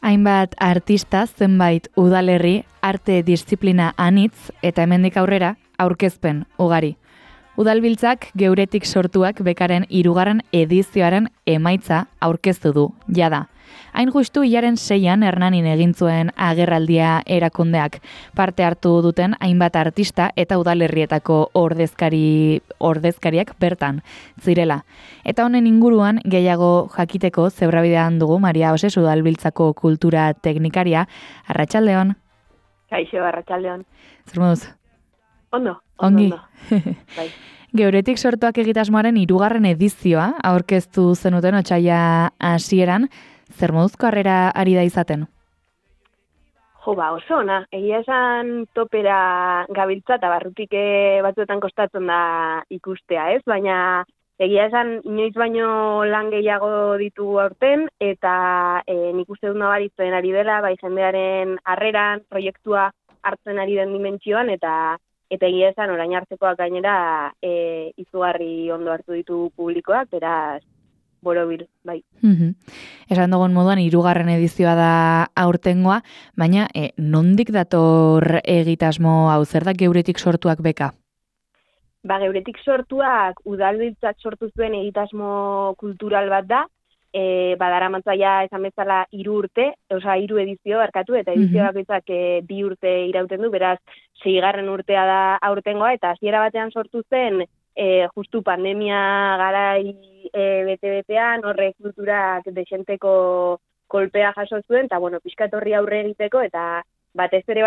Hainbat artista, zenbait udalerri, arte disiplina anitz eta hemendik aurrera aurkezpen ugari. Udalbiltzak geuretik sortuak bekaren 3. edizioaren emaitza aurkeztu du, jada. Hain justu hilaren 6an Hernanin egin zuen agerraldia erakundeak. Parte hartu duten hainbat artista eta udalerrietako ordezkariak bertan zirela. Eta honen inguruan gehiago jakiteko zebrabidean dugu Maria Oses Udalbiltzako kultura teknikaria. Arratsaldeon. Kaixo, arratsaldeon. Zer moduz? Ondo. Ongi. Bai. Geuretik sortuak egitasmoaren 3. edizioa aurkeztu zenuten otsaila hasieran. Zer moduzko harrera ari da izaten? Jo, oso ona. Egia esan topera gabiltza eta barrutik batzuetan kostatzen da ikustea, ez? Baina egia esan inoiz baino lan gehiago ditugu aurten eta nik uste dut nabaritzen ari dela, bai jendearen harreran, proiektua hartzen ari den dimentsioan eta egia esan orain artekoak gainera izugarri ondo hartu ditu publikoak, beraz borobil, bai. Esan dugun moduan 3. edizioa da aurtengoa, baina nondik dator egitasmo hau, zer da geuretik sortuak beka? Geuretik sortuak udalbiltzak sortu zuen egitasmo kultural bat da, badaramatzaia esan bezala 3 edizio barkatu, eta edizio bakoitzak 2 urte irauten du, beraz 6. urtea da aurtengoa, eta hasiera batean sortu zen justu pandemia garai bete-betean, horrek kulturak desenteko kolpea jaso zuen, eta pixkat horri aurre egiteko, eta batez ere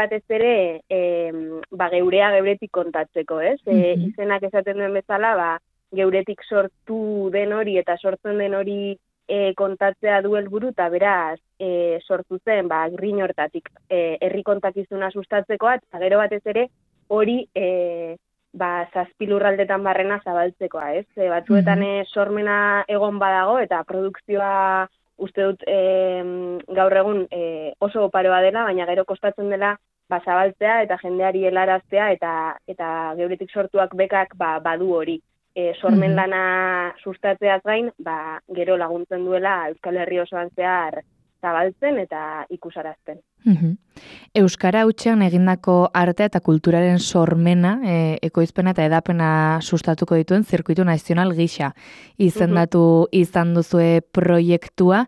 geurea geuretik kontatzeko, ez? Izenak esaten duen bezala, geuretik sortu den hori eta sortzen den hori kontatzea du helburu, eta beraz sortu zen Grin hortatik herri kontakizuna sustatzekoa, eta gero batez ere hori 7 lurraldetan barrena zabaltzekoa, ez? Batzuetan sormena egon badago eta produkzioa uste dut gaur egun oso oparoa dela, baina gero kostatzen dela zabaltzea eta jendeari helaraztea eta geuretik sortuak bekak badu hori. Sormen lana sustatzeaz gain, gero laguntzen duela Euskal Herri osoan zehar zabaltzen eta ikusarazten. Euskara hutsean egindako arte eta kulturaren sormena, ekoizpena eta edapena sustatuko dituen zirkuitu nazional gisa izendatu izan duzue proiektua.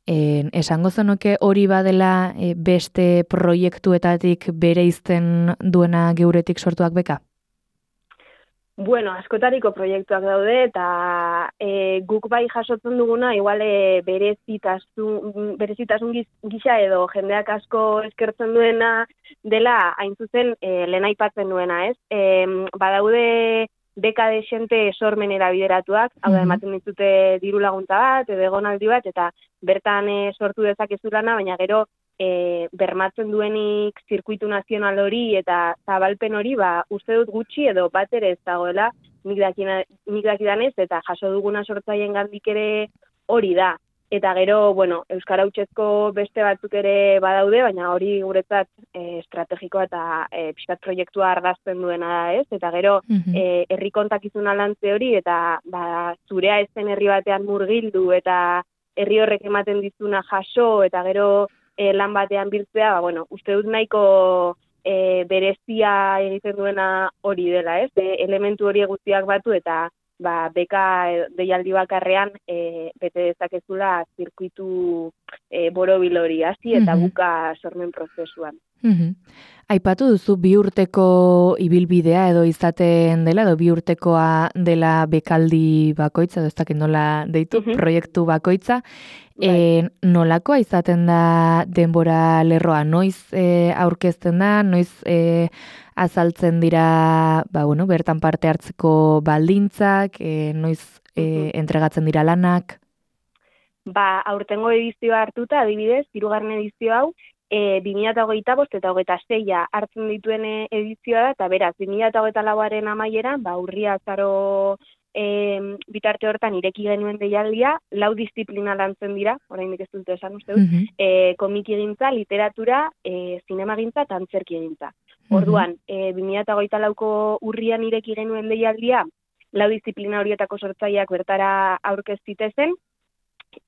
Esango zenuke hori badela beste proiektuetatik bereizten duena geuretik sortuak beka? Askotariko proiektuak daude eta guk bai jasotzen duguna igual berezitasun gisa edo jendeak asko eskertzen duena dela hain zuzen lehen aipatzen duena, ez? Badaude beka desente sormenera bideratuak, hau da ematen ditute diru laguntza bat edo egonaldi bat eta bertan sortu dezakezu lana, baina gero bermatzen duenik zirkuitu nazional hori eta zabalpen hori, uste dut gutxi edo bat ere ez dagoela, nik dakidanez, eta jaso duguna sortzaileen gandik ere hori da. Eta gero, Euskara hutsezko beste batzuk ere badaude, baina hori guretzat estrategikoa eta pixkat proiektua argazten duena da, ez? Eta gero, herri kontakizuna lantze hori, eta zurea ez zen herri batean murgildu, eta herri horrek ematen dizuna jaso, eta gero lan batean biltzea, uste dut nahiko berezia egiten duena hori dela, ez? Elementu hori guztiak batu eta beka deialdi bakarrean bete dezakezula zirkuitu borobil hori hasi eta buka sormen prozesuan. Aipatu duzu 2 urteko ibilbidea edo izaten dela, edo 2 urtekoa dela bekaldi bakoitza, edo ez dakit nola deitu, proiektu bakoitza. Nolakoa izaten da denbora lerroa? Noiz aurkezten da, noiz azaltzen dira bertan parte hartzeko baldintzak, noiz entregatzen dira lanak? Aurtengo edizioa hartuta, adibidez, 3. edizio hau, 2025 eta 2026 hartzen dituen edizioa da, eta beraz, 2024aren amaieran, urria azaro bitarte hortan ireki genuen deialdia, 4 disiplina lantzen dira, oraindik ez dut esan uste dut, komikigintza, literatura, zinemagintza eta antzerkigintza. Orduan, 2024ko urrian ireki genuen deialdia, 4 disiplina horietako sortzaileak bertara aurkez zitezen,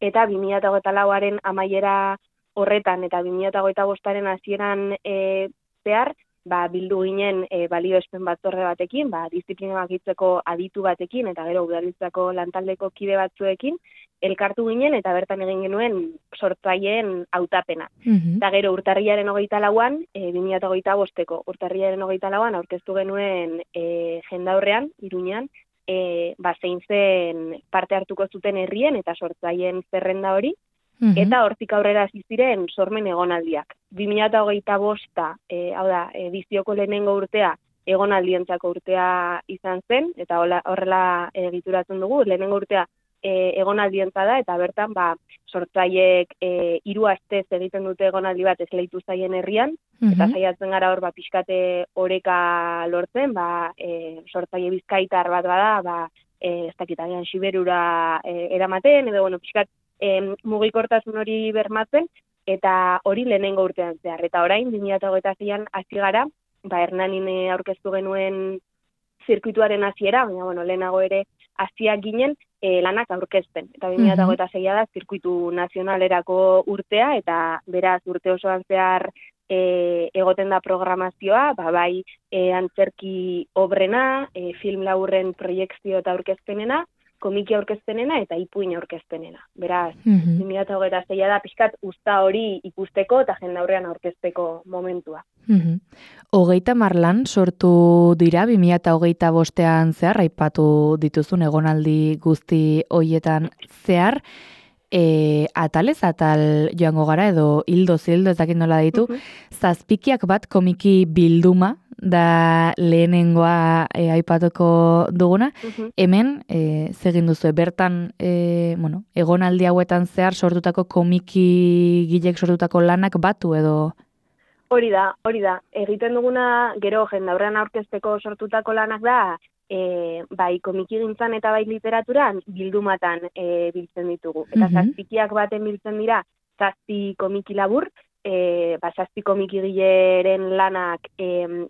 eta 2024aren amaiera horretan eta 2025aren hasieran zehar, bildu ginen balioespen batzorde batekin, disiplina bakitzeko aditu batekin, eta gero udalbiltzako lantaldeko kide batzuekin, elkartu ginen, eta bertan egin genuen sortzaileen hautapena. Eta gero urtarrilaren 24an, 2025ko urtarrilaren 24an, aurkeztu genuen jendaurrean, Iruñean, zein zen parte hartuko zuten herrien eta sortzaileen zerrenda hori, eta hortik aurrera hasi ziren sormen egonaldiak. 2025, hau da, edizioko lehenengo urtea, egonaldientzako urtea izan zen, eta horrela egituratzen dugu, lehenengo urtea egonaldientza da, eta bertan sortzaileek 3 astez egiten dute egonaldi bat esleitu zaien herrian, eta saiatzen gara hor pixkate oreka lortzen, sortzaile bizkaitar bat bada, ez dakit agian Siberura eramaten, edo pixkat mugikortasun hori bermatzen, eta hori lehenengo urtean zehar. Eta orain, 2026an hasi gara, Hernanin aurkeztu genuen zirkuituaren hasiera, baina lehenago ere hasiak ginen lanak aurkezten. Eta 2026a da zirkuitu nazionalerako urtea, eta beraz urte osoan zehar egoten da programazioa, bai antzerki obrena, film laburren proiekzio eta aurkezpenena, komiki aurkezpenena eta ipuin aurkezpenena. Beraz, 2026a da pixkat usta hori ikusteko eta jendaurrean aurkezteko momentua. 30 lan sortu dira 2025an zehar, aipatu dituzun egonaldi guzti hoietan zehar, atalez atal joango gara edo hildoz hildo, ez dakit nola ditu, zazpikiak bat komiki bilduma da lehenengoa aipatuko duguna. Hemen, zegin duzu, bertan egonaldi hauetan zehar sortutako komiki gilek sortutako lanak batu edo? Hori da. Egiten duguna, gero jendaurrean aurkezteko sortutako lanak da, bai komiki gintzan eta bai literaturan bildumatan biltzen ditugu. Eta zazpikiak baten biltzen dira, 7 komiki labur, 7 komikigileren lanak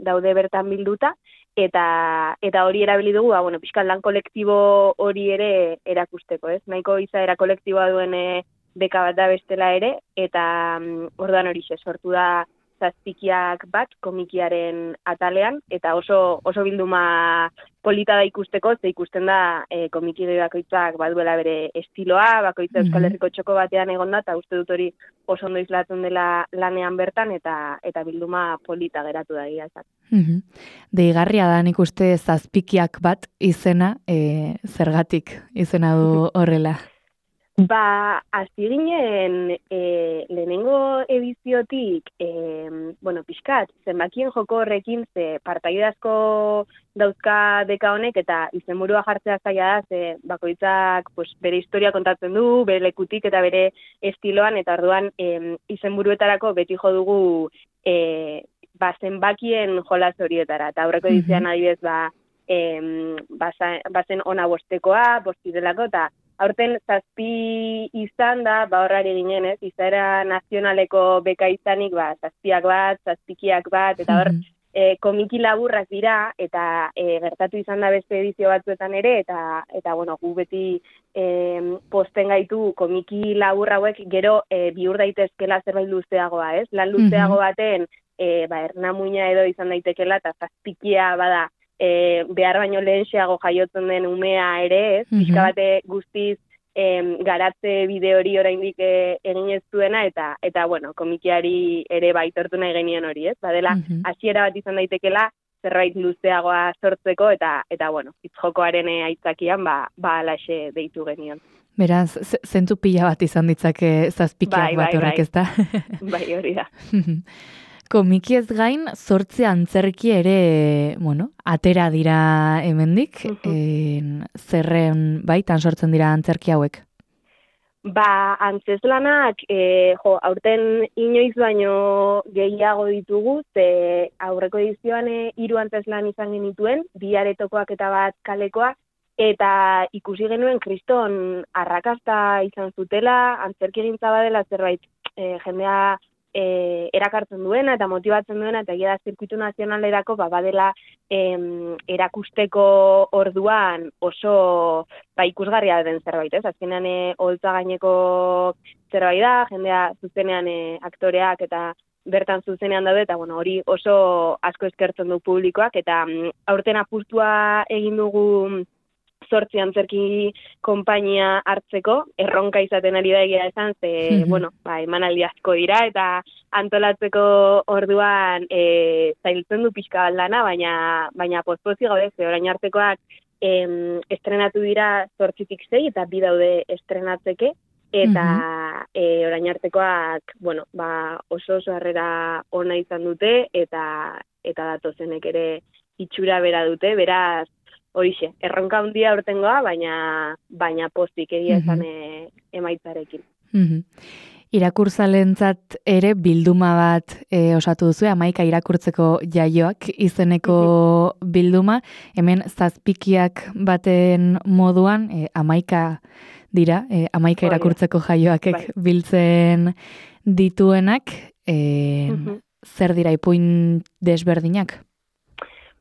daude bertan bilduta, eta hori erabili dugu, pixkat lan kolektibo hori ere erakusteko, ez? Nahiko izaera kolektiboa duen beka bat da bestela ere, eta orduan hori sortu da zazpikiak bat komikiaren atalean, eta oso bilduma polita da ikusteko, ze ikusten da komiki bakoitzak baduela bere estiloa, bakoitza Euskal Herriko txoko batean egonda, eta uste dut hori oso ondo islatzen dela lanean bertan, eta bilduma polita geratu da gira. Deigarria da nik uste zazpikiak bat izena, zergatik izena du horrela? Hasi ginen lehenengo ediziotik, pixkat, zenbakien joko horrekin, ze partaide asko dauzka deka honek, eta izenburua jartzea zaila da, ze bakoitzak bere historia kontatzen du, bere lekutik eta bere estiloan, eta orduan izenburuetarako beti jo dugu zenbakien jolas horietara, eta aurreko edizioan adibidez, bazen ona bostekoa, bostidelako, eta aurten 7 izan da, horrari ginen, izaera nazionaleko beka izanik, 7 bat, 7 bat, eta hor komiki laburrak dira, eta gertatu izan da beste edizio batzuetan ere, eta gu beti posten gaitu komiki labur hauek gero bihur daitezkela zerbait luzeagoa, ez? Lan luzeago baten, ernamuina edo izan daitekela, eta 7 bada, behar baino lehenxeago jaiotzen den umea ere, ez? Pixka bate guztiz garatze bide hori oraindik egin ez duena, eta komikiari ere baitortu nahi genien hori, ez? Badela, hasiera bat izan daitekela, zerbait luzeagoa sortzeko, eta hitz-jokoaren aitzakian, alaxe deitu genion. Beraz, zentzu pila bat izan ditzake zazpikiak bat horrek, ez da? Bai, hori da. Komikiez gain, 8 antzerki ere, atera dira hemendik, zerren baitan sortzen dira antzerki hauek? Antzeslanak, aurten inoiz baino gehiago ditugu, ze aurreko edizioan 3 antzeslan izan genituen, 2 aretokoak eta bat kalekoa, eta ikusi genuen kriston arrakasta izan zutela, antzerki gintza badela zerbait jendea erakartzen duena eta motibatzen duena, eta egia da zirkuitu nazionalerako badela erakusteko orduan oso ikusgarria den zerbait, ez? Azkenean oholtza gaineko zerbait da, jendea zuzenean aktoreak eta bertan zuzenean daude, eta hori oso asko eskertzen du publikoak, eta aurten apustua egin dugu 8 antzerki konpainia hartzeko, erronka izaten ari da egia esan, emanaldi asko dira, eta antolatzeko orduan zailtzen du pixka baldana, baina pozpozi gaude, orain artekoak estrenatu dira 8tik 6, eta 2 daude estrenatzeke, eta orain artekoak, oso harrera ona izan dute, eta datozenek ere itxura bera dute, beraz, horixe, erronka handia urtengoa, baina pozik egia esan emaitzarekin. Irakurzalentzat ere bilduma bat osatu duzu, 11 irakurtzeko jaioak izeneko bilduma, hemen zazpikiak baten moduan 11 dira, 11 irakurtzeko jaioakek biltzen dituenak, zer dira ipuin desberdinak?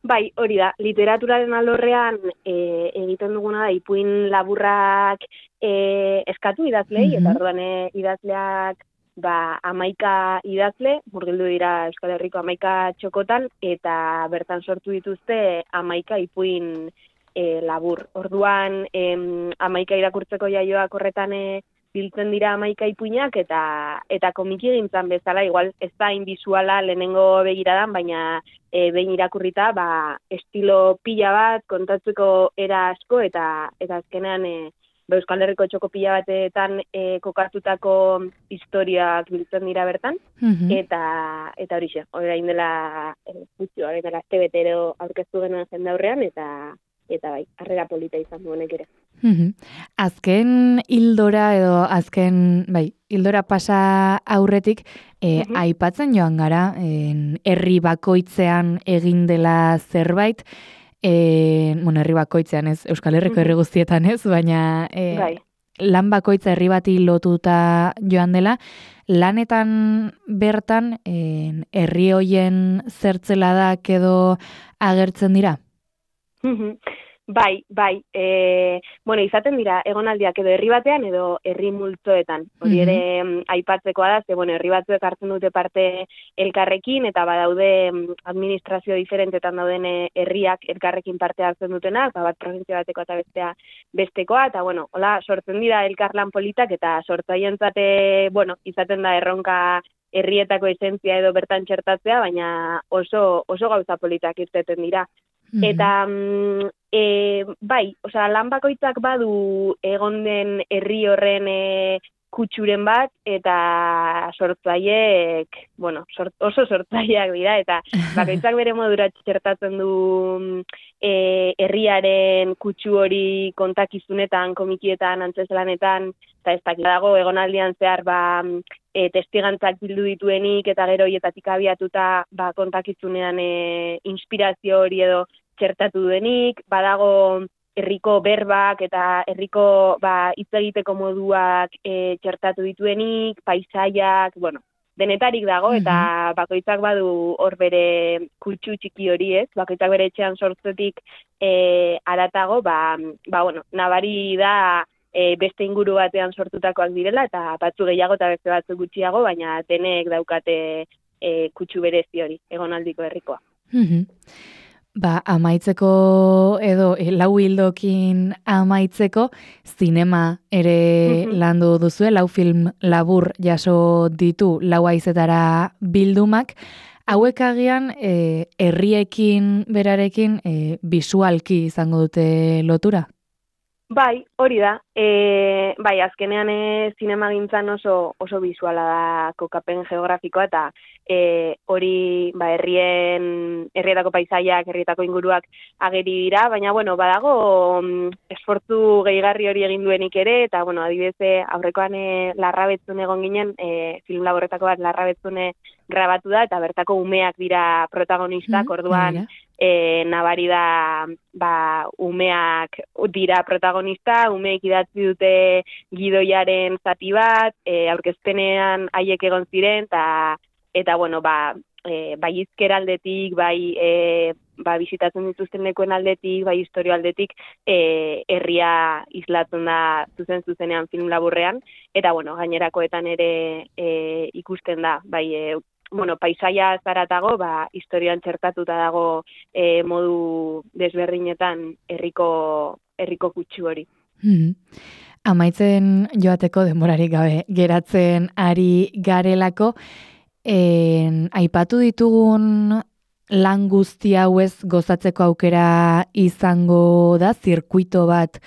Bai, hori da, literaturaren alorrean egiten duguna da ipuin laburrak eskatu idazlei, eta orduan idazleak 11 idazle, murgildu dira Euskal Herriko 11 txokotan, eta bertan sortu dituzte 11 ipuin labur. Orduan 11 irakurtzeko jaioak horretan biltzen dira 11 ipuinak, eta komiki gintzan bezala, igual ez da inbisuala lehenengo begiradan, baina behin irakurrita, estilo pila bat, kontatzeko era asko, eta azkenean Euskal Herriko txoko pila batetan kokatutako historiak biltzen dira bertan, eta horixe, orain dela aste betero aurkeztu genuen jende aurrean, eta bai, harrera polita izan duenek ere. Azken hildora hildora pasa aurretik, aipatzen joan gara, herri bakoitzean egin dela zerbait, herri bakoitzean ez, Euskal Herriko herri guztietan ez, baina lan bakoitza herri bati lotuta joan dela, lanetan bertan herri hoien zertzeladak edo agertzen dira? Bai, izaten dira egonaldiak edo herri batean edo herri multzoetan. Hori ere aipatzekoa da, herri batzuek hartzen dute parte elkarrekin, eta badaude administrazio diferentetan dauden herriak elkarrekin parte hartzen dutenak, bat provintzia bateko eta bestekoa, eta hola sortzen dira elkarlan politak, eta sortzaientzat izaten da erronka herrietako esentzia edo bertan txertatzea, baina oso gauza politak irteten dira. Eta lan bakoitzak badu egon den herri horren kutsuren bat, eta sortzaileek, oso sortzaileak dira, eta bakoitzak bere modura txertatzen du herriaren kutsu hori kontakizunetan, komikietan, antzeslanetan, eta ez dakit dago egonaldian zehar testigantzak bildu dituenik, eta gero hietatik abiatuta kontakizunean inspirazio hori edo txertatu duenik, badago herriko berbak eta herriko hitz egiteko moduak txertatu dituenik, paisaiak, denetarik dago, eta bakoitzak badu hor bere kutsu txiki hori ez, bakoitzak bere etxean sortzetik aratago, nabari da beste inguru batean sortutakoak direla, eta batzu gehiago eta beste batzu gutxiago, baina denek daukate kutsu berezi hori, egonaldiko herrikoa. Amaitzeko edo lau hildokin amaitzeko zinema ere landu duzue, 4 film labur jaso ditu 4 haizetara bildumak. Hauek agian herriekin berarekin bisualki izango dute lotura? Bai, hori da. Azkenean zinemagintzan oso bisuala da kokapen geografikoa, eta hori herrietako paisaiak, herrietako inguruak ageri dira, baina badago esfortzu gehigarri hori egin duenik ere, eta adibidez aurrekoan Larrabetzun egon ginen, film laborretako bat Larrabetzune grabatu da, eta bertako umeak dira protagonistak, orduan nabari da umeak dira protagonista, umeek idatzi dute gidoiaren zati bat, aurkezpenean haiek egon ziren, eta eta bueno, bai hizkera aldetik, bisitatzen dituzten lekuen aldetik, bai historio aldetik, herria islatzen da zuzenean film laburrean, eta bueno, gainerakoetan ere ikusten da, bai, paisaia zaratago, historioan txertatuta dago modu desberdinetan herriko kutsu hori. Amaitzen joateko denborarik gabe geratzen ari garelako, aipatu ditugun lan guzti hauez gozatzeko aukera izango da, zirkuito bat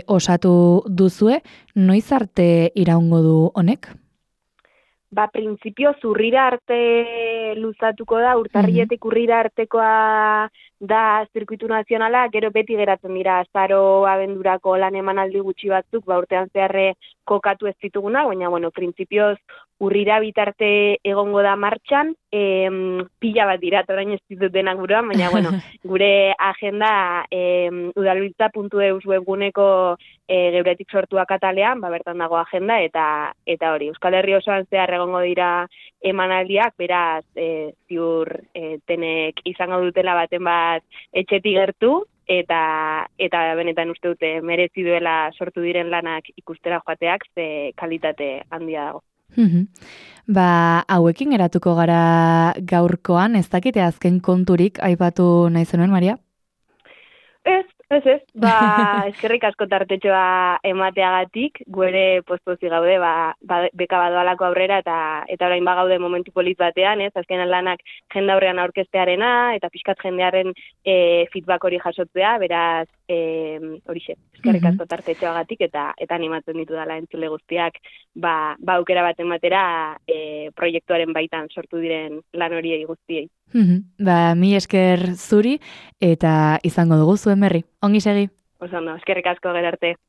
osatu duzue, noiz arte iraungo du honek? Printzipio urrira arte luzatuko da, urtarrietik urrira artekoa da zirkuitu nazionala, gero beti geratzen dira azaro abendurako lan emanaldi gutxi batzuk, urtean zeharre kokatu ez dituguna, baina, printzipioz urrira bitarte egongo da martxan, pila bat dira, orain ez ditut denak buruan, baina, gure agenda udalbiltza.eus webguneko geuretik sortuak atalean, bertan dago agenda, eta hori, Euskal Herri osoan zehar egongo dira emanaldiak, beraz, ziur tenek izango dutela baten bat etxetik gertu, eta benetan uste dute merezi duela sortu diren lanak ikustera joateak, ze kalitate handia dago. Hauekin geratuko gara gaurkoan, ez dakite azken konturik aipatu nahi zenuen, Maria? Ez. Eskerrik asko tartetxoa emateagatik, guere pospozi gaude, beka badoalako aurrera, eta orain gaude momentu polit batean, azkenan lanak jende aurrean aurkeztearena, eta pixkat jendearen feedback hori jasotzea, beraz, horixe, eskerrik asko tartetxoagatik, eta animatzen ditu dela entzule guztiak, aukera bat ematera proiektuaren baitan sortu diren lan horiei guztiei. Mi esker zuri, eta izango dugu zuen berri. Ongi segi. Oso ondo, eskerrik asko, gero arte.